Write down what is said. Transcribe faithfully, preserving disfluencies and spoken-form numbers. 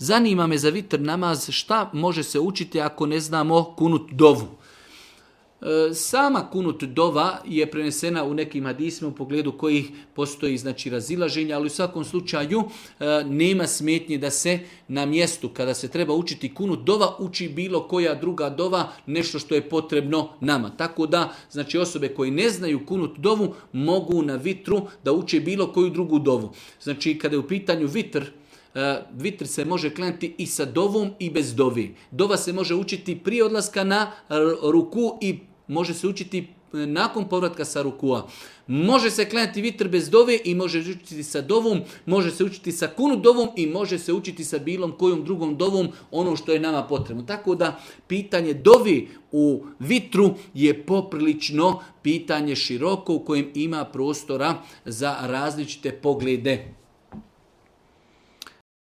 zanima me za vitr namaz šta može se učiti ako ne znamo kunut dovu. Sama kunut dova je prenesena u nekim hadisima u pogledu kojih postoji znači razilaženja, ali u svakom slučaju nema smetnje da se na mjestu kada se treba učiti kunut dova uči bilo koja druga dova, nešto što je potrebno nama. Tako da znači osobe koji ne znaju kunut dovu mogu na vitru da uče bilo koju drugu dovu. Znači kada je u pitanju vitr, vitr se može klanjati i sa dovom i bez dovi. Dova se može učiti prije odlaska na ruku i može se učiti nakon povratka sa rukua. Može se klanjati vitr bez dove i može se učiti sa dovom, može se učiti sa kunut dovom i može se učiti sa bilom kojom drugom dovom, ono što je nama potrebno. Tako da pitanje dovi u vitru je poprilično pitanje široko u kojem ima prostora za različite poglede.